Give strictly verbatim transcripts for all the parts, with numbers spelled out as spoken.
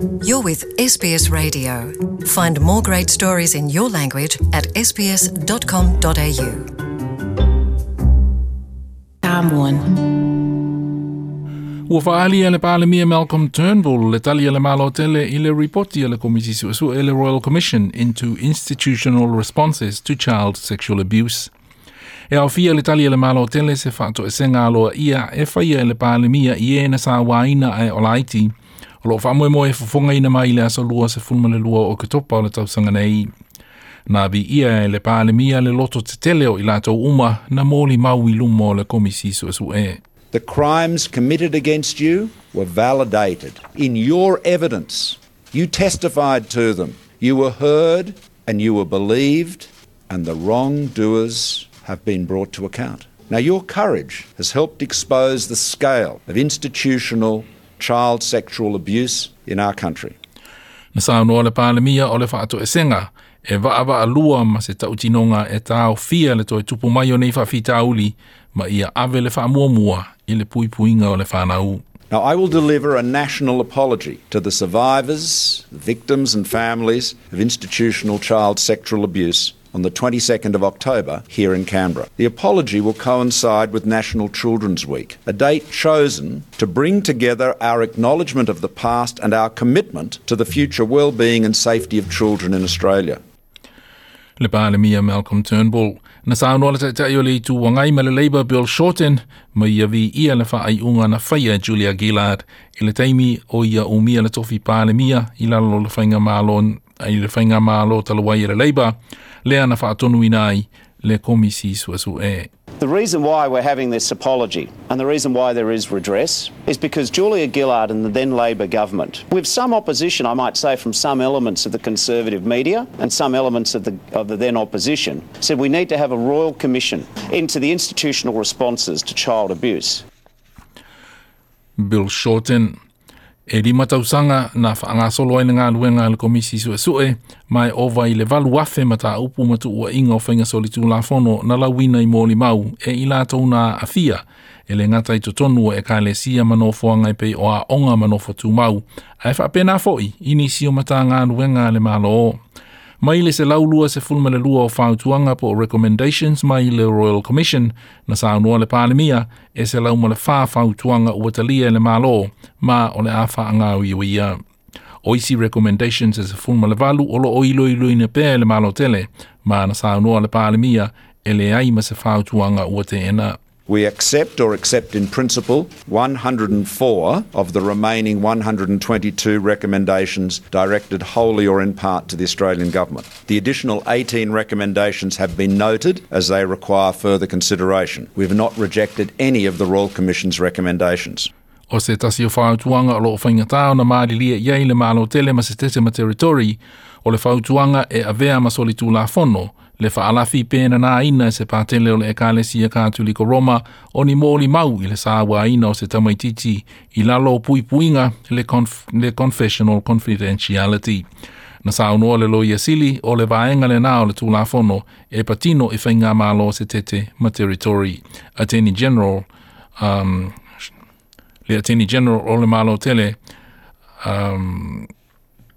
You're with S B S Radio. Find more great stories in your language at S B S dot com dot A U. Samoan. Ua faalia le Palemia Malcolm Turnbull le tali a le Malo tele i le ripoti a le Komisi Suesue, le Royal Commission into Institutional Responses to Child Sexual Abuse. E aofia le tali a le Malo tele se faatoesega aloaia e faia e le Palemia i e na sauaina ae o laiti. O lo faamoemoe e fofogaina mai le aso lua sefulu ma le lua o Oketopa o le tausaga nei. Na viia e le Palemia le loto tetele o i latou uma na molimau i luma o le Komisi Suesue. The crimes committed against you were validated in your evidence. You testified to them. You were heard and you were believed, and the wrongdoers have been brought to account. Now, your courage has helped expose the scale of institutional child sexual abuse in our country. Na saunoa le Palemia o le faatoesega e vaavaalua ma se tautinoga e taofia le toe tupu mai o nei faafitauli ma ia ave le faamuamua i le puipuiga o le fanau. Now, I will deliver a national apology to the survivors, the victims, and families of institutional child sexual abuse on the twenty-second of October here in Canberra. The apology will coincide with National Children's Week, a date chosen to bring together our acknowledgement of the past and our commitment to the future well-being and safety of children in Australia. Le Palemia Malcolm Turnbull. Na saunoa le Taitai o le Itu Agai ma le Labour Bill Shorten ma ia viia le faaiuga na faia Julia Gillard i le taimi o ia umia le tofi Palemia i lalo o le faigamalo i le faigamalo talu ai e le Labour lea na faatonuina ai le Komisi Suesue. The reason why we're having this apology and the reason why there is redress is because Julia Gillard and the then Labor government, with some opposition, I might say, from some elements of the Conservative media and some elements of the, of the then opposition, said we need to have a royal commission into the institutional responses to child abuse. Bill Shorten. E lima tausaga na faagasolo ai le galuega a le Komisi Suesue ma e ova i le valu afe mataupu ma tuuaiga o faiga solitulafono na lauina i molimau e i latou na aafia e le gata i totonu o ekalesia ma nofoaga e pei o aoga ma nofo tumau ae faapena foʻi i nisi o matagaluega a le Malo. Mai le selau lua sefulu ma le lua o fautuaga po o recommendations mai le Royal Commission, na saunoa le Palemia e selau ma le fa fautuaga ua talia e le Malo ma o le a faagaoioia. O isi recommendations e sefulu ma le valu o loo iloiloina pea e le Malo tele ma na saunoa le Palemia e leai ma se fautuaga ua teena. We accept or accept in principle one hundred and four of the remaining one hundred and twenty-two recommendations directed wholly or in part to the Australian Government. The additional eighteen recommendations have been noted as they require further consideration. We have not rejected any of the Royal Commission's recommendations. O se tasi o fautuaga o loo faigatā ona malilie i ai le Malo tele ma se tete ma territory o le fautuaga e avea ma solitulafono le faalafi penanaina e se patele o le Ekalesia Katoliko Roma o ni molimau i le sauaina o se tamaititi i lalo o puipuiga le, conf, le confessional confidentiality. Na saunoa le Loia Sili o le vaega lenā o le Tulafono e patino i faigamalo se tete ma territory. Attorney General um, le Attorney General o le Malo tele um,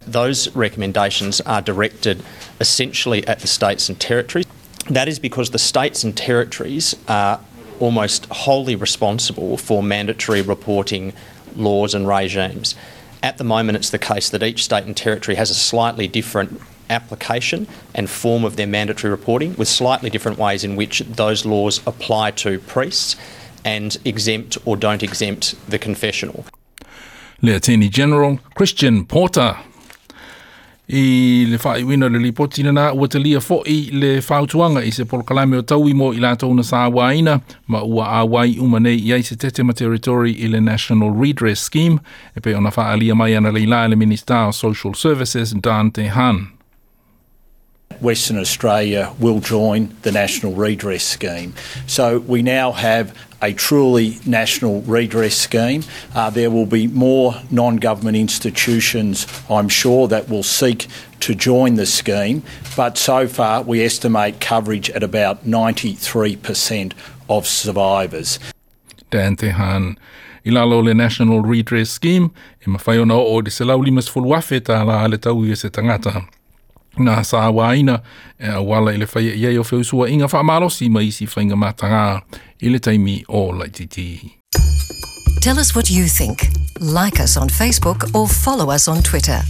Those recommendations are directed essentially at the states and territories. That is because the states and territories are almost wholly responsible for mandatory reporting laws and regimes. At the moment, it's the case that each state and territory has a slightly different application and form of their mandatory reporting, with slightly different ways in which those laws apply to priests and exempt or don't exempt the confessional. Le Attorney General Christian Porter. I le faaiuina le lipoti lenā ua talia foʻi le fautuaga i se polokalame o taui mo i latou na sauaina ma ua auai uma nei i ai se tete ma territory i le National Redress Scheme e pei ona faaalia mai analeila e le Minista o Social Services Dan Tehan. Western Australia will join the National Redress Scheme. So we now have a truly national redress scheme. Uh, there will be more non government institutions, I'm sure, that will seek to join the scheme, but so far we estimate coverage at about ninety-three percent of survivors. Dan Tehan. I lalo o le National Redress Scheme, e mafai ona oo i le selau limasefulu afe tālā le taui e se tagata na sauaina e auala i le faia i ai o feusuaiga faamalosi ma isi faiga matagā i le taimi o laititi. Tell us what you think. Like us on Facebook or follow us on Twitter.